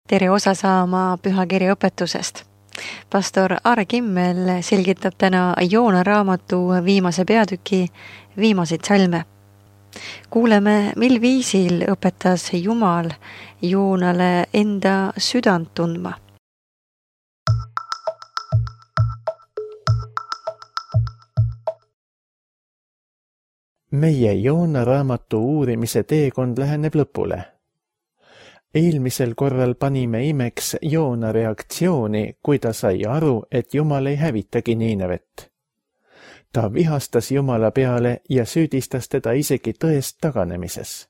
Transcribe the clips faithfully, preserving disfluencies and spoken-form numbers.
tere osa saama pühakirja õpetusest. Pastor Aare Kimmel selgitab täna Joona raamatu viimase peatüki viimaseid salme. Kuuleme, mil viisil õpetas Jumal Joonale enda südant tundma. Meie Joona raamatu uurimise teekond läheneb lõpule. Eelmisel korral panime imeks Joona reaktsiooni, kui ta sai aru, et Jumal ei hävitagi Niinevet. Ta vihastas Jumala peale ja süüdistas teda isegi tõest taganemises.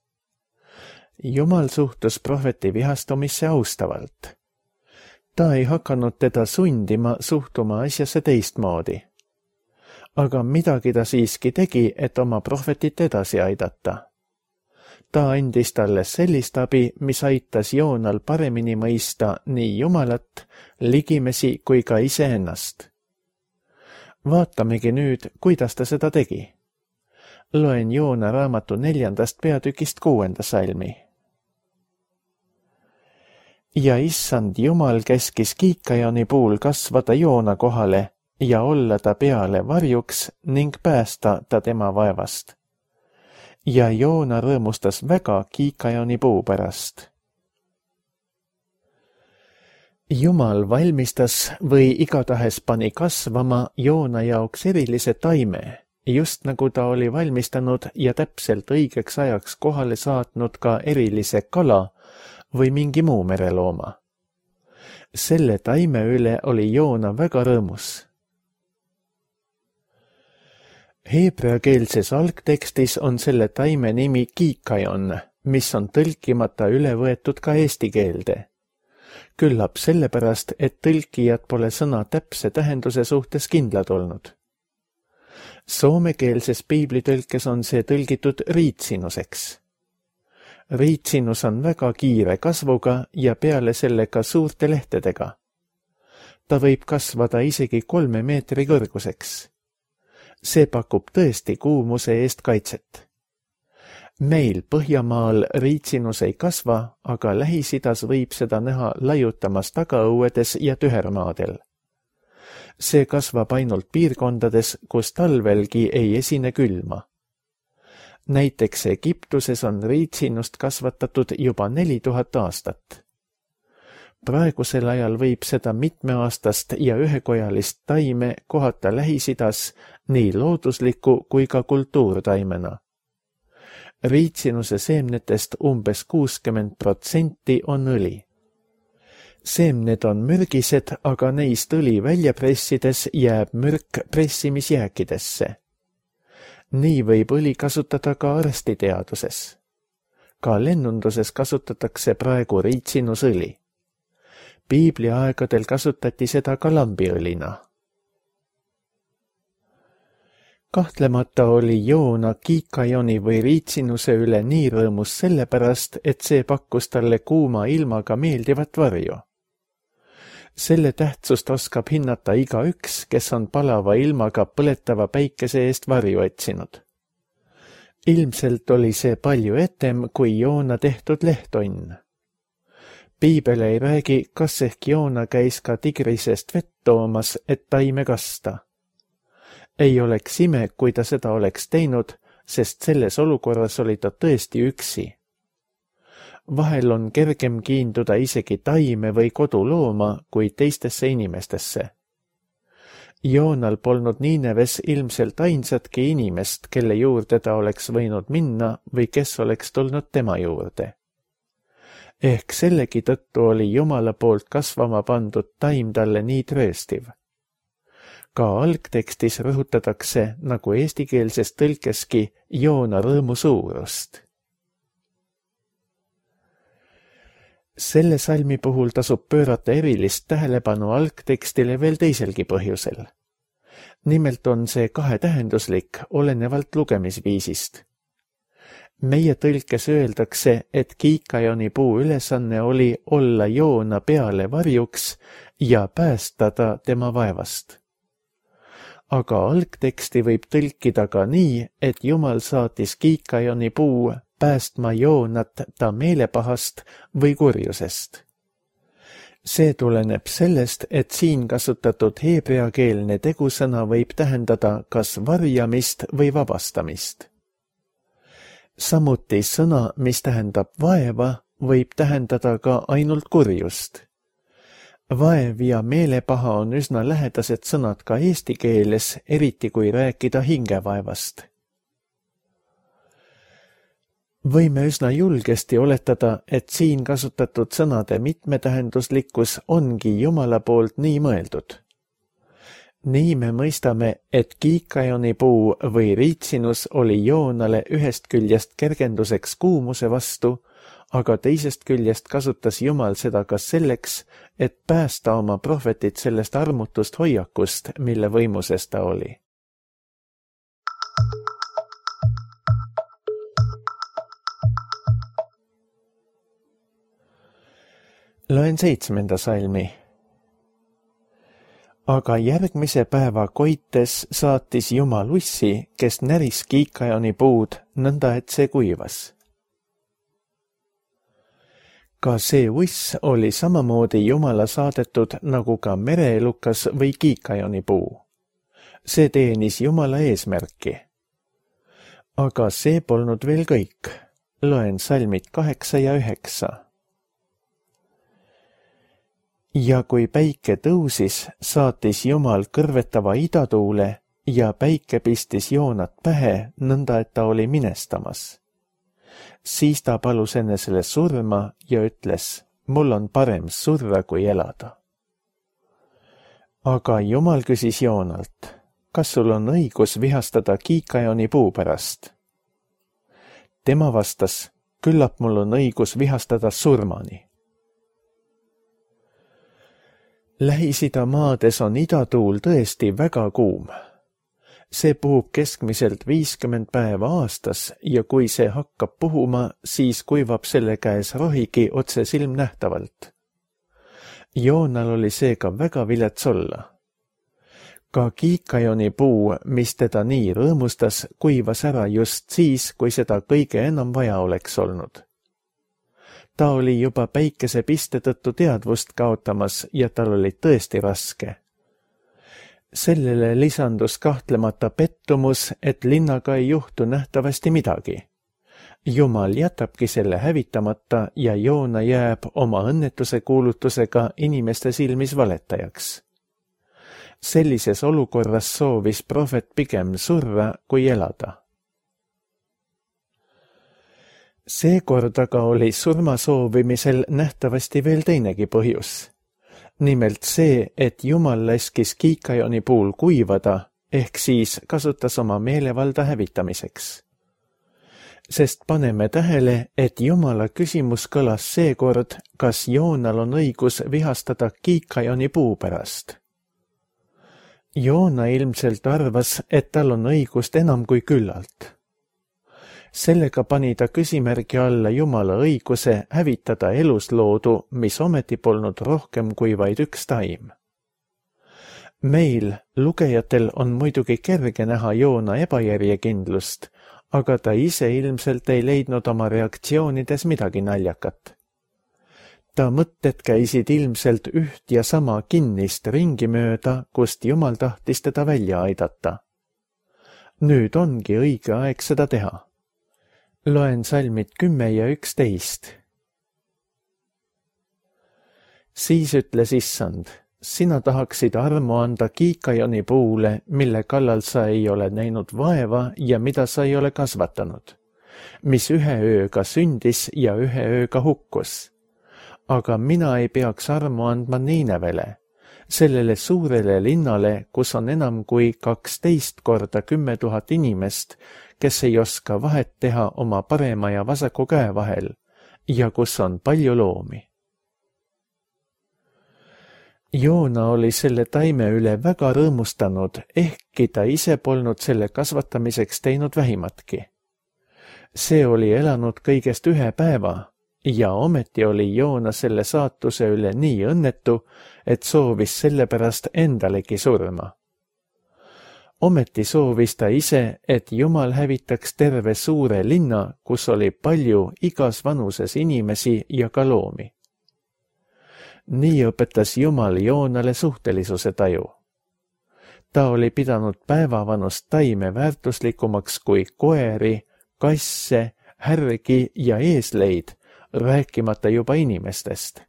Jumal suhtus prohveti vihastumisse austavalt. Ta ei hakanud teda sundima suhtuma asjasse teistmoodi. Aga midagi ta siiski tegi, et oma prohvetit edasi aidata. Ta andis talle sellist abi, mis aitas Joonal paremini mõista nii Jumalat, ligimesi kui ka iseennast. Vaatamegi nüüd, kuidas ta seda tegi. Loen Joona raamatu neljandast peatükist kuuenda salmi. Ja issand Jumal käskis kiikajoni puul kasvada Joona kohale ja olla ta peale varjuks ning päästa ta tema vaevast. Ja Joona rõõmustas väga kiikajoni puu pärast. Jumal valmistas või igatahes pani kasvama Joona jaoks erilise taime, just nagu ta oli valmistanud ja täpselt õigeks ajaks kohale saatnud ka erilise kala või mingi muu merelooma. Selle taime üle oli Joona väga rõõmus. Heebreakeelses algtekstis on selle taime nimi kiikajon, mis on tõlkimata üle võetud ka eesti keelde. Küllap sellepärast, et tõlkijad pole sõna täpse tähenduse suhtes kindlad olnud. Soomekeelses piiblitõlkes on see tõlgitud riitsinuseks. Riitsinus on väga kiire kasvuga ja peale selle ka suurte lehtedega. Ta võib kasvada isegi kolme meetri kõrguseks. See pakub tõesti kuumuse eest kaitset. Meil Põhjamaal riitsinus ei kasva, aga Lähis-Idas võib seda näha laiutamas tagaõuedes ja tühermaadel. See kasvab ainult piirkondades, kus talvelgi ei esine külma. Näiteks Egiptuses on riitsinust kasvatatud juba neli tuhat aastat. Praegusel ajal võib seda mitmeaastast ja ühekojalist taime kohata Lähis-Idas nii loodusliku kui ka kultuurtaimena. Riitsinuse seemnetest umbes kuuskümmend protsenti on õli. Seemned on mürgised, aga neist õli välja pressides jääb mürk pressimisjääkidesse. Nii võib õli kasutada ka arstiteaduses. Ka lennunduses kasutatakse praegu riitsinusõli. Piibli aegadel kasutati seda ka lambiõlina. Kahtlemata oli Joona kiikajoni või riitsinuse üle nii rõõmus sellepärast, et see pakkus talle kuuma ilmaga meeldivat varju. Selle tähtsust oskab hinnata igaüks, kes on palava ilmaga põletava päikese eest varju otsinud. Ilmselt oli see palju etem kui Joona tehtud lehtonn. Piibel ei räägi, kas ehk Joona käis ka tigrisest vett toomas, et taime kasta. Ei oleks ime, kui ta seda oleks teinud, sest selles olukorras oli ta tõesti üksi. Vahel on kergem kiinduda isegi taime või kodulooma kui teistesse inimestesse. Joonal polnud Niineves ilmselt ainsatki inimest, kelle juurde ta oleks võinud minna või kes oleks tulnud tema juurde. Ehk sellegi tõttu oli Jumala poolt kasvama pandud taim talle nii trööstiv. Ka algtekstis rõhutatakse, nagu eestikeelses tõlkeski, Joona rõõmu suurust. Selle salmi puhul tasub pöörata erilist tähelepanu algtekstile veel teiselgi põhjusel. Nimelt on see kahetähenduslik, olenevalt lugemisviisist. Meie tõlkes öeldakse, et kiikajoni puu ülesanne oli olla Joona peale varjuks ja päästada tema vaevast. Aga algteksti võib tõlkida ka nii, et Jumal saatis kiikajoni puu päästma Joonat ta meelepahast või kurjusest. see tuleneb sellest, et siin kasutatud heebreakeelne tegusõna võib tähendada kas varjamist või vabastamist. Samuti sõna, mis tähendab vaeva, võib tähendada ka ainult kurjust. Vaev ja meelepaha on üsna lähedased sõnad ka eesti keeles, eriti kui rääkida hingevaevast. Võime üsna julgesti oletada, et siin kasutatud sõnade mitmetähenduslikkus ongi Jumala poolt nii mõeldud. Nii me mõistame, et kiikajonipuu või riitsinus oli Joonale ühest küljest kergenduseks kuumuse vastu, aga teisest küljest kasutas Jumal seda ka selleks, et päästa oma prohvetit sellest armutust hoiakust, mille võimuses ta oli. Loen seitsmenda salmi. Aga järgmise päeva koites saatis Jumal ussi, kes näris kiikajonipuud, nõnda et see kuivas. Ka see uss oli samamoodi Jumala saadetud nagu ka mereelukas või kiikajonipuu. See teenis Jumala eesmärki. Aga see polnud veel kõik. Loen salmid kaheksa ja üheksa. Ja kui päike tõusis, saatis Jumal kõrvetava idatuule ja päike pistis Joonat pähe, nõnda et ta oli minestamas. Siis ta palus enesele surma ja ütles, mul on parem surra kui elada. Aga Jumal küsis Joonalt, kas sul on õigus vihastada kiikajonipuu pärast? Tema vastas, küllap mul on õigus vihastada surmani. Lähis-Ida maades on idatuul tõesti väga kuum. See puhub keskmiselt viiskümmend päeva aastas ja kui see hakkab puhuma, siis kuivab selle käes rohigi otse silmnähtavalt. Joonal oli seega väga vilets olla. Ka kiikajonipuu, mis teda nii rõõmustas, kuivas ära just siis, kui seda kõige enam vaja oleks olnud. Ta oli juba päikese piste tõttu teadvust kaotamas ja tal oli tõesti raske. Sellele lisandus kahtlemata pettumus, et linnaga ei juhtu nähtavasti midagi. Jumal jätabki selle hävitamata ja Joona jääb oma õnnetuse kuulutusega inimeste silmis valetajaks. Sellises olukorras soovis prohvet pigem surra kui elada. Seekord aga oli surma soovimisel nähtavasti veel teinegi põhjus. Nimelt see, et Jumal laskis kiikajonipuul kuivada, ehk siis kasutas oma meelevalda hävitamiseks. Sest paneme tähele, et Jumala küsimus kõlas seekord, kas Joonal on õigus vihastada kiikajonipuu pärast. Joona ilmselt arvas, et tal on õigust enam kui küllalt. Sellega pani ta küsimärgi alla Jumala õiguse hävitada elusloodu, mis ometi polnud rohkem kui vaid üks taim. Meil, lugejatel, on muidugi kerge näha Joona ebajärjekindlust, aga ta ise ilmselt ei leidnud oma reaktsioonides midagi naljakat. Ta mõtted käisid ilmselt üht ja sama kinnist ringi mööda, kust Jumal tahtis teda välja aidata. Nüüd ongi õige aeg seda teha. Loen salmid kümme ja üksteist. Siis ütles Issand, sina tahaksid armu anda kiikajonipuule, mille kallal sa ei ole näinud vaeva ja mida sa ei ole kasvatanud, mis ühe ööga sündis ja ühe ööga hukkus. Aga mina ei peaks armu andma Niinevele, sellele suurele linnale, kus on enam kui kaksteist korda kümme tuhat inimest, kes ei oska vahet teha oma parema ja vasaku käe vahel ja kus on palju loomi. Joona oli selle taime üle väga rõõmustanud, ehkki ta ise polnud selle kasvatamiseks teinud vähimatki. See oli elanud kõigest ühe päeva ja ometi oli Joona selle saatuse üle nii õnnetu, et soovis sellepärast endalegi surma. Ometi soovis ta ise, et Jumal hävitaks terve suure linna, kus oli palju igas vanuses inimesi ja ka loomi. Nii õpetas Jumal Joonale suhtelisuse taju. Ta oli pidanud päevavanust taime väärtuslikumaks kui koeri, kasse, härgi ja eesleid, rääkimata juba inimestest.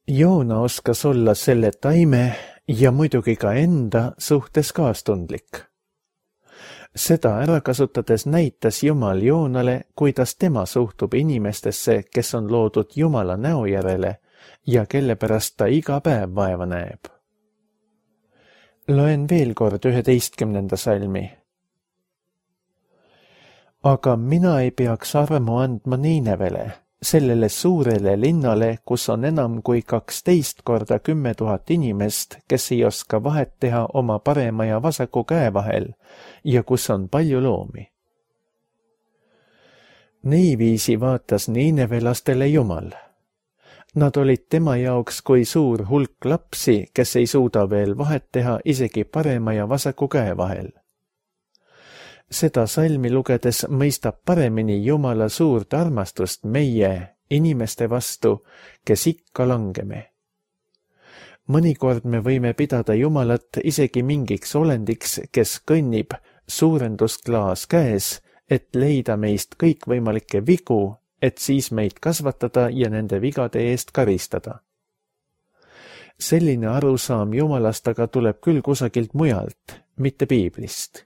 Joona oskas olla selle taime ja muidugi ka enda suhtes kaastundlik. Seda ära kasutades näitas Jumal Joonale, kuidas tema suhtub inimestesse, kes on loodud Jumala näo järele ja kelle pärast ta iga päev vaeva näeb. Loen veel kord üheteistkümnenda salmi. Aga mina ei peaks armu andma Niinevele, sellele suurele linnale, kus on enam kui kaksteist korda kümme tuhat inimest, kes ei oska vahet teha oma parema ja vasaku käe vahel ja kus on palju loomi. Niiviisi vaatas niinevelastele Jumal. Nad olid tema jaoks kui suur hulk lapsi, kes ei suuda veel vahet teha isegi parema ja vasaku käe vahel. Seda salmi lugedes mõistab paremini Jumala suurt armastust meie, inimeste vastu, kes ikka langeme. Mõnikord me võime pidada Jumalat isegi mingiks olendiks, kes kõnnib suurendusklaas käes, et leida meist kõikvõimalikke vigu, et siis meid kasvatada ja nende vigade eest karistada. Selline arusaam Jumalast aga tuleb küll kusagilt mujalt, mitte piiblist.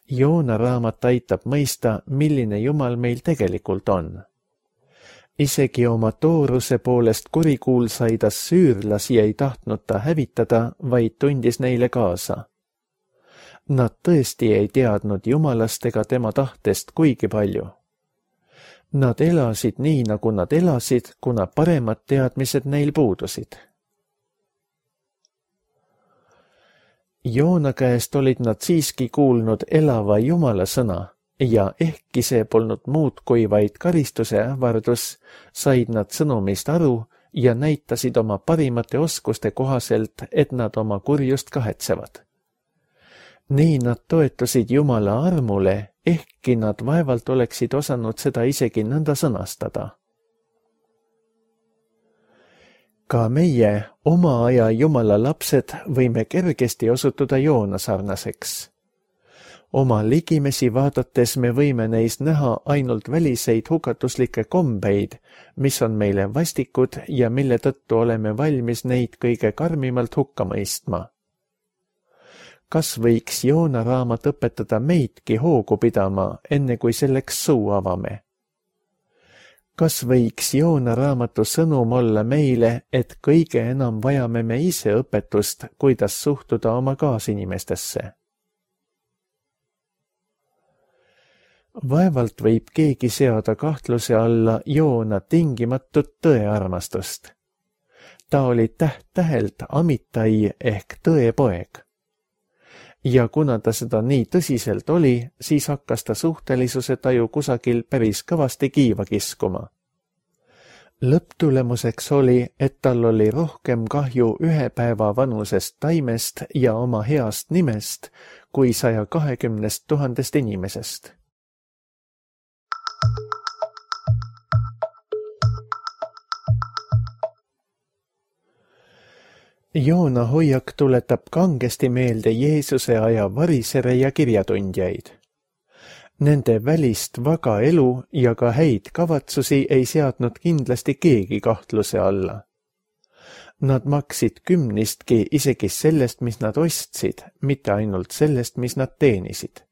Joona raamat aitab mõista, milline Jumal meil tegelikult on. Isegi oma tooruse poolest kurikuulsaid assüürlasi ei tahtnud ta hävitada, vaid tundis neile kaasa. Nad tõesti ei teadnud Jumalast ega tema tahtest kuigi palju. Nad elasid nii, nagu nad elasid, kuna paremad teadmised neil puudusid. Joona käest olid nad siiski kuulnud elava Jumala sõna ja ehkki see polnud muud kui vaid karistuse ähvardus, said nad sõnumist aru ja näitasid oma parimate oskuste kohaselt, et nad oma kurjust kahetsevad. Nii nad toetusid Jumala armule, ehkki nad vaevalt oleksid osanud seda isegi nõnda sõnastada. Ka meie, oma aja Jumala lapsed, võime kergesti osutuda Joona sarnaseks. Oma ligimesi vaadates me võime neis näha ainult väliseid hukatuslikke kombeid, mis on meile vastikud ja mille tõttu oleme valmis neid kõige karmimalt hukka mõistma. Kas võiks Joona raamat õpetada meidki hoogu pidama, enne kui selleks suu avame? Kas võiks Joona raamatu sõnum olla meile, et kõige enam vajame me ise õpetust, kuidas suhtuda oma kaasinimestesse? Vaevalt võib keegi seada kahtluse alla Joona tingimatut tõearmastust. Ta oli täht-tähelt Amitai ehk tõepoeg. Ja kuna ta seda nii tõsiselt oli, siis hakkas ta suhtelisuse taju kusagil päris kõvasti kiiva kiskuma. Lõpptulemuseks oli, et tal oli rohkem kahju ühe päeva vanusest taimest ja oma heast nimest kui saja kahekümnest tuhandest inimesest. Joona hoiak tuletab kangesti meelde Jeesuse aja varisere ja kirjatundjaid. Nende välist vaga elu ja ka häid kavatsusi ei seadnud kindlasti keegi kahtluse alla. Nad maksid kümnistki isegi sellest, mis nad ostsid, mitte ainult sellest, mis nad teenisid.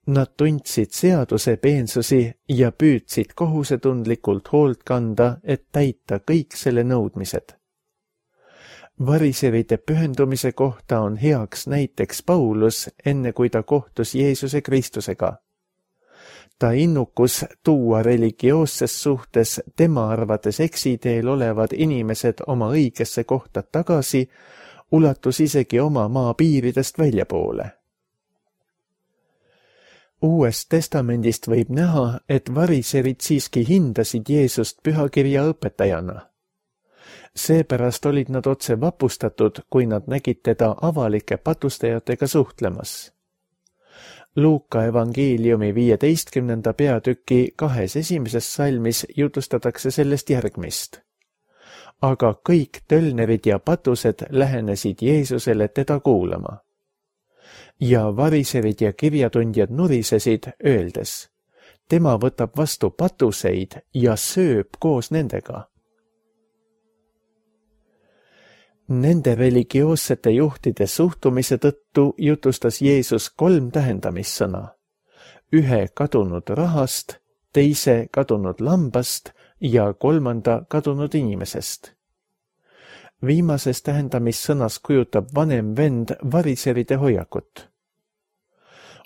Nad tundsid seaduse peensusi ja püüdsid kohusetundlikult hoolt kanda, et täita kõik selle nõudmised. Variseride pühendumise kohta on heaks näiteks Paulus, enne kui ta kohtus Jeesuse Kristusega. Ta innukus tuua religioosses suhtes tema arvates eksiteel olevad inimesed oma õigesse kohta tagasi, ulatus isegi oma maa piiridest väljapoole. Uuest testamendist võib näha, et variserid siiski hindasid Jeesust pühakirja õpetajana. Seepärast olid nad otse vapustatud, kui nad nägid teda avalike patustajatega suhtlemas. Luuka evangeeliumi viieteistkümnenda peatüki kahes esimeses salmis jutustatakse sellest järgmist. Aga kõik tölnerid ja patused lähenesid Jeesusele teda kuulama. Ja variserid ja kirjatundjad nurisesid, öeldes, tema võtab vastu patuseid ja sööb koos nendega. Nende religioossete juhtide suhtumise tõttu jutustas Jeesus kolm tähendamissõna. Ühe kadunud rahast, teise kadunud lambast ja kolmanda kadunud inimesest. Viimases tähendamissõnas kujutab vanem vend variseride hoiakut.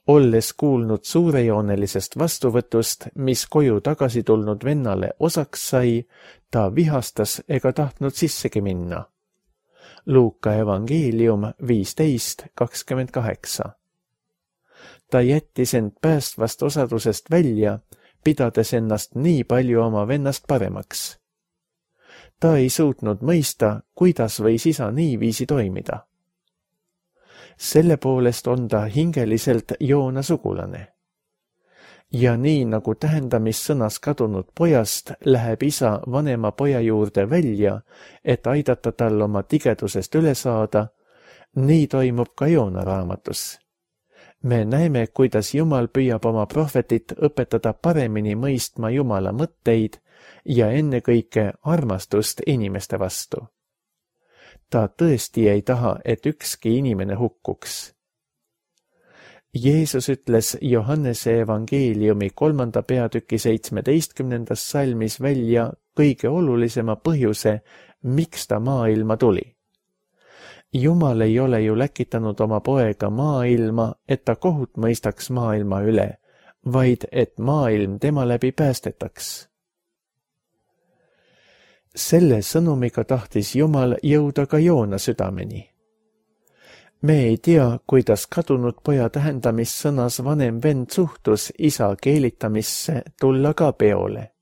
Olles kuulnud suurejoonelisest vastuvõtust, mis koju tagasi tulnud vennale osaks sai, ta vihastas ega tahtnud sissegi minna. Luuka evangeelium viisteist kakskümmend kaheksa. Ta jättis end päästvast osadusest välja, pidades ennast nii palju oma vennast paremaks. Ta ei suutnud mõista, kuidas võis isa niiviisi toimida. Selle poolest on ta hingeliselt Joona sugulane. Ja nii nagu tähendamissõnas kadunud pojast läheb isa vanema poja juurde välja, et aidata tal oma tigedusest üle saada, nii toimub ka Joona raamatus. Me näeme, kuidas Jumal püüab oma prohvetit õpetada paremini mõistma Jumala mõtteid ja ennekõike armastust inimeste vastu. Ta tõesti ei taha, et ükski inimene hukkuks. Jeesus ütles Johannese evangeeliumi kolmanda peatüki seitsmeteistkümnendas salmis välja kõige olulisema põhjuse, miks ta maailma tuli. Jumal ei ole ju läkitanud oma poega maailma, et ta kohut mõistaks maailma üle, vaid et maailm tema läbi päästetaks. Selle sõnumiga tahtis Jumal jõuda ka Joona südameni. Me ei tea, kuidas kadunud poja tähendamissõnas vanem vend suhtus isa keelitamisse tulla ka peole.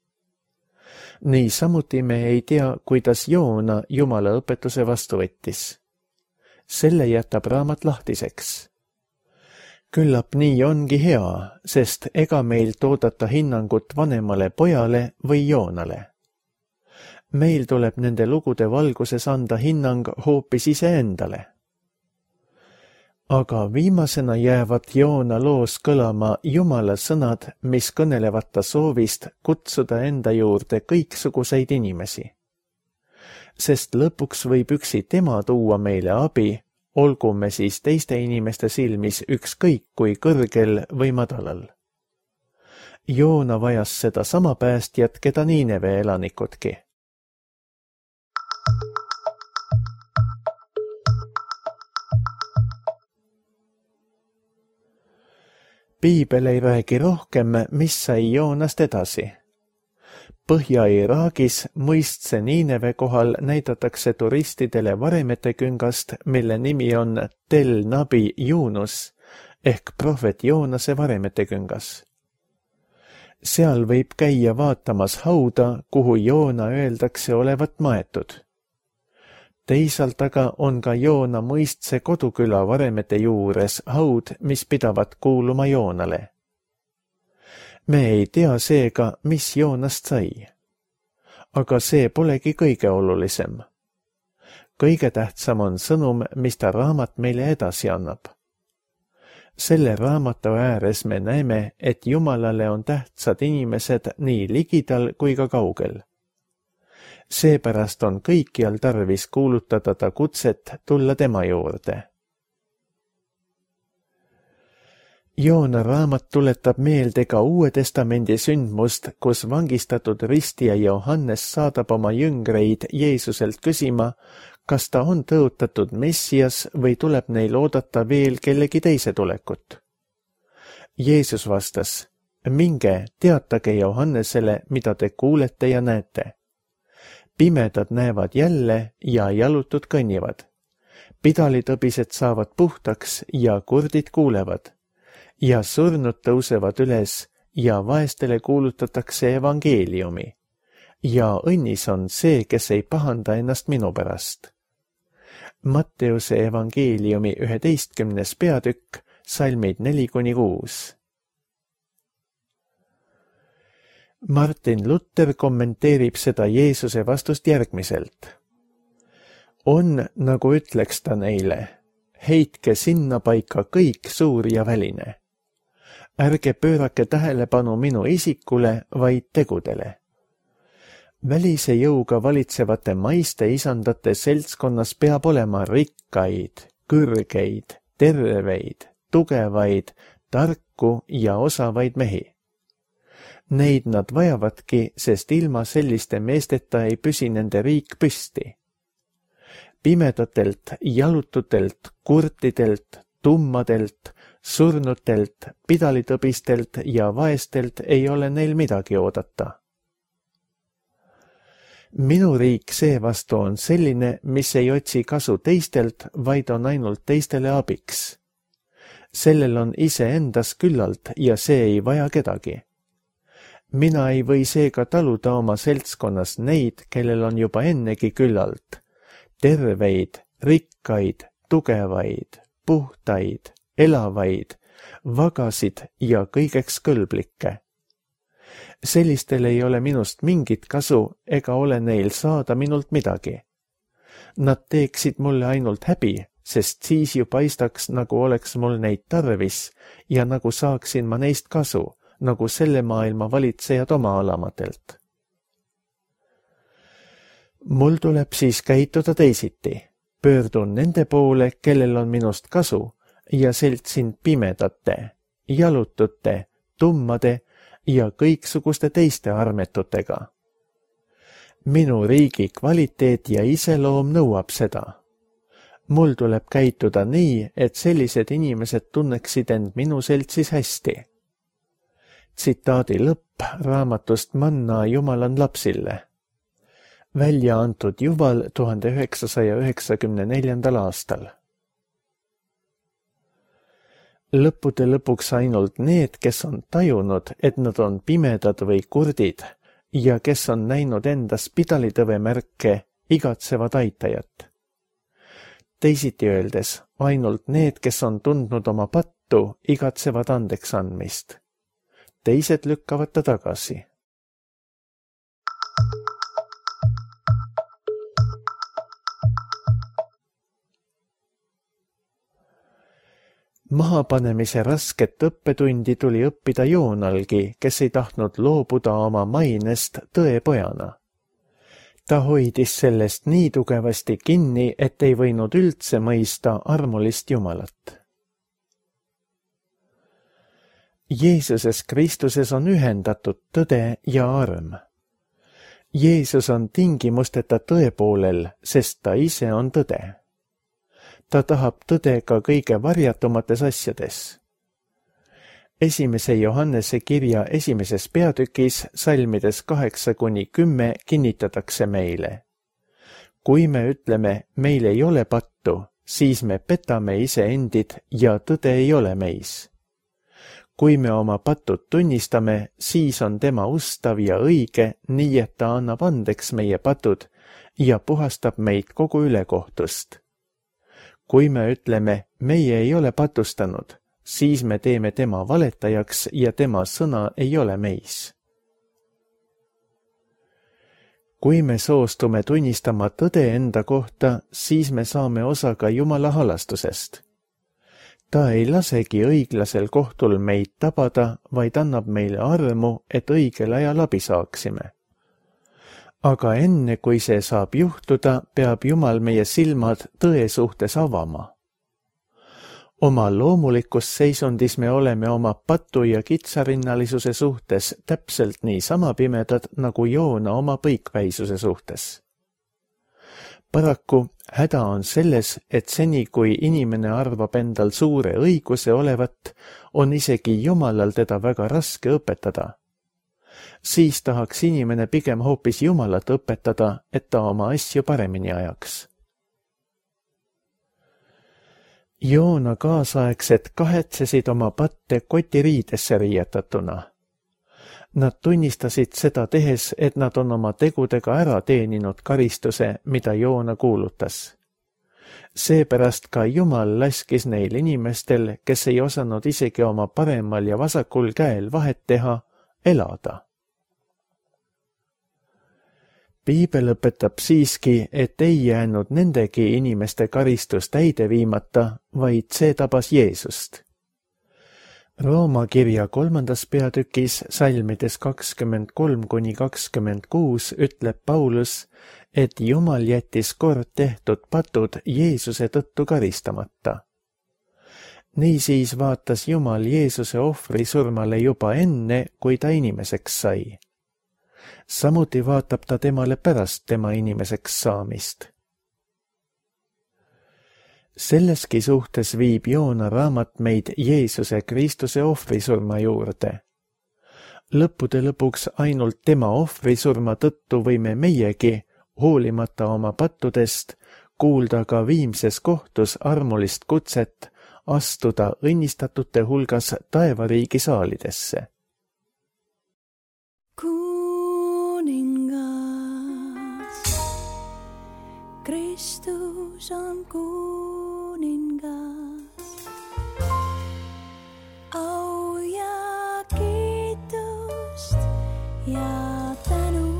Nii samuti me ei tea, kuidas Joona Jumala õpetuse vastu võttis. Selle jätab raamat lahtiseks. Küllap nii ongi hea, sest ega meil toodata hinnangut vanemale pojale või Joonale. Meil tuleb nende lugude valguses anda hinnang hoopis iseendale. Aga viimasena jäävad Joona loos kõlama Jumala sõnad, mis kõnelevad ta soovist kutsuda enda juurde kõiksuguseid inimesi. Sest lõpuks võib üksi tema tuua meile abi, olgu me siis teiste inimeste silmis ükskõik kui kõrgel või madalal. Joona vajas seda sama päästjat, keda Niineve elanikudki. Piibel ei räägi rohkem, mis sai Joonast edasi. Põhja-Iraagis mõistse Niineve kohal näidatakse turistidele varemete küngast, mille nimi on Tel Nabi Yunus ehk prohvet Joonase varemete küngas. Seal võib käia vaatamas hauda, kuhu Joona öeldakse olevat maetud. Teisalt aga on ka Joona mõistse koduküla varemete juures haud, mis pidavat kuuluma Joonale. Me ei tea seega, mis Joonast sai. Aga see polegi kõige olulisem. Kõige tähtsam on sõnum, mis ta raamat meile edasi annab. Selle raamatu ääres me näeme, et Jumalale on tähtsad inimesed nii ligidal kui ka kaugel. Seepärast on kõikjal tarvis kuulutada ta kutset tulla tema juurde. Joona raamat tuletab meelde ka Uue Testamendi sündmust, kus vangistatud ristija Johannes saadab oma jüngreid Jeesuselt küsima, kas ta on tõotatud Messias või tuleb neil oodata veel kellegi teise tulekut. Jeesus vastas, minge, teatage Johannesele, mida te kuulete ja näete. Pimedad näevad jälle ja jalutud kõnnivad. Pidalitõbised saavad puhtaks ja kurdid kuulevad. Ja surnud tõusevad üles ja vaestele kuulutatakse evangeeliumi. Ja õnnis on see, kes ei pahanda ennast minu pärast. Matteuse evangeeliumi üheteistkümnes peatükk, salmid neli kuni kuus. Martin Luther kommenteerib seda Jeesuse vastust järgmiselt. On, nagu ütleks ta neile, heitke sinna paika kõik suur ja väline. Ärge pöörake tähelepanu minu isikule, vaid tegudele. Välise jõuga valitsevate maiste isandate seltskonnas peab olema rikkaid, kõrgeid, terveid, tugevaid, tarku ja osavaid mehi. Neid nad vajavadki, sest ilma selliste meesteta ei püsi nende riik püsti. Pimedatelt, jalututelt, kurtidelt, tummadelt, surnutelt, pidalitõbistelt ja vaestelt ei ole neil midagi oodata. Minu riik seevastu on selline, mis ei otsi kasu teistelt, vaid on ainult teistele abiks. Sellel on iseendas küllalt ja see ei vaja kedagi. Mina ei või seega taluda oma seltskonnas neid, kellel on juba ennegi küllalt. Terveid, rikkaid, tugevaid, puhtaid, elavaid, vagasid ja kõigeks kõlblikke. Sellistel ei ole minust mingit kasu ega ole neil saada minult midagi. Nad teeksid mulle ainult häbi, sest siis ju paistaks, nagu oleks mul neid tarvis ja nagu saaksin ma neist kasu, nagu selle maailma valitsejad oma alamatelt. Mul tuleb siis käituda teisiti. Pöördun nende poole, kellel on minust kasu ja seltsin pimedate, jalutute, tummade ja kõiksuguste teiste armetutega. Minu riigi kvaliteet ja iseloom nõuab seda. Mul tuleb käituda nii, et sellised inimesed tunneksid end minu seltsis hästi. Tsitaadi lõpp raamatust Manna Jumalan lapsille. Välja antud Juval tuhande üheksasaja üheksakümne neljandal aastal. Lõppude lõpuks ainult need, kes on tajunud, et nad on pimedad või kurdid ja kes on näinud endas pidalitõve märke, igatsevad aitajat. Teisiti öeldes, ainult need, kes on tundnud oma pattu, igatsevad andeks andmist. Teised lükkavad ta tagasi. Mahapanemise rasket õppetundi tuli õppida Joonalgi, kes ei tahtnud loobuda oma mainest tõepojana. Ta hoidis sellest nii tugevasti kinni, et ei võinud üldse mõista armulist Jumalat. Jeesuses Kristuses on ühendatud tõde ja arm. Jeesus on tingimusteta tõe poolel, sest ta ise on tõde. Ta tahab tõde ka kõige varjatumates asjades. Esimese Johannese kirja esimeses peatükis salmides kaheksa kuni kümme kinnitatakse meile. Kui me ütleme, meil ei ole pattu, siis me petame iseendid ja tõde ei ole meis. Kui me oma patud tunnistame, siis on tema ustav ja õige, nii et ta annab andeks meie patud ja puhastab meid kogu ülekohtust. Kui me ütleme, meie ei ole patustanud, siis me teeme tema valetajaks ja tema sõna ei ole meis. Kui me soostume tunnistama tõde enda kohta, siis me saame osa ka Jumala halastusest. Ta ei lasegi õiglasel kohtul meid tabada, vaid annab meile armu, et õigel ajal abi saaksime. Aga enne, kui see saab juhtuda, peab Jumal meie silmad tõe suhtes avama. Oma loomulikus seisundis me oleme oma patu ja kitsarinnalisuse suhtes täpselt nii sama pimedad, nagu Joona oma põikväisuse suhtes. Paraku häda on selles, et seni, kui inimene arvab endal suure õiguse olevat, on isegi Jumalal teda väga raske õpetada. Siis tahaks inimene pigem hoopis Jumalat õpetada, et ta oma asju paremini ajaks. Joona kaasaegsed kahetsesid oma patte kotiriidesse riietatuna. Nad tunnistasid seda tehes, et nad on oma tegudega ära teeninud karistuse, mida Joona kuulutas. Seepärast ka Jumal laskis neil inimestel, kes ei osanud isegi oma paremal ja vasakul käel vahet teha, elada. Piibel õpetab siiski, et ei jäänud nendegi inimeste karistus täide viimata, vaid see tabas Jeesust. Rooma kirja kolmandas peatükis salmides kakskümmend kolm kuni kakskümmend kuus ütleb Paulus, et Jumal jättis kord tehtud patud Jeesuse tõttu karistamata. Niisiis vaatas Jumal Jeesuse ohvri surmale juba enne, kui ta inimeseks sai. Samuti vaatab ta temale pärast tema inimeseks saamist. Selleski suhtes viib Joona raamat meid Jeesuse Kristuse ohvrisurma juurde. Lõppude lõpuks ainult tema ohvrisurma tõttu võime meiegi, hoolimata oma pattudest, kuulda ka viimses kohtus armulist kutset astuda õnnistatute hulgas taevariigi saalidesse. Kristus on kuningas, au ja kiitust ja tänu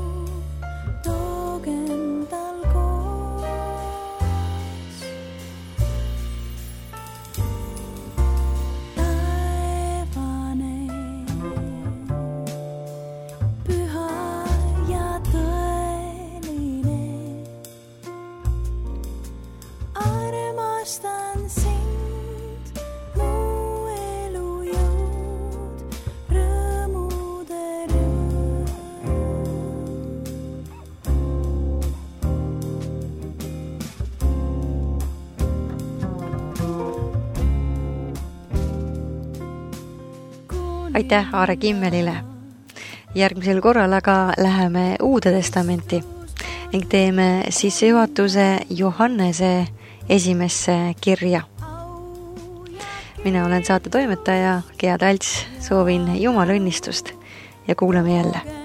toogem tal koos. Taevane, püha ja tõeline, armastan sind, mu elu jõud, rõõmude rõõm. Aitäh Aare Kimmelile. Järgmisel korral aga läheme Uude Testamenti ning teeme sissejuhatuse Johannese esimesse kirja. Mina olen saate toimetaja Gea Talts, soovin Jumala õnnistust ja kuuleme jälle.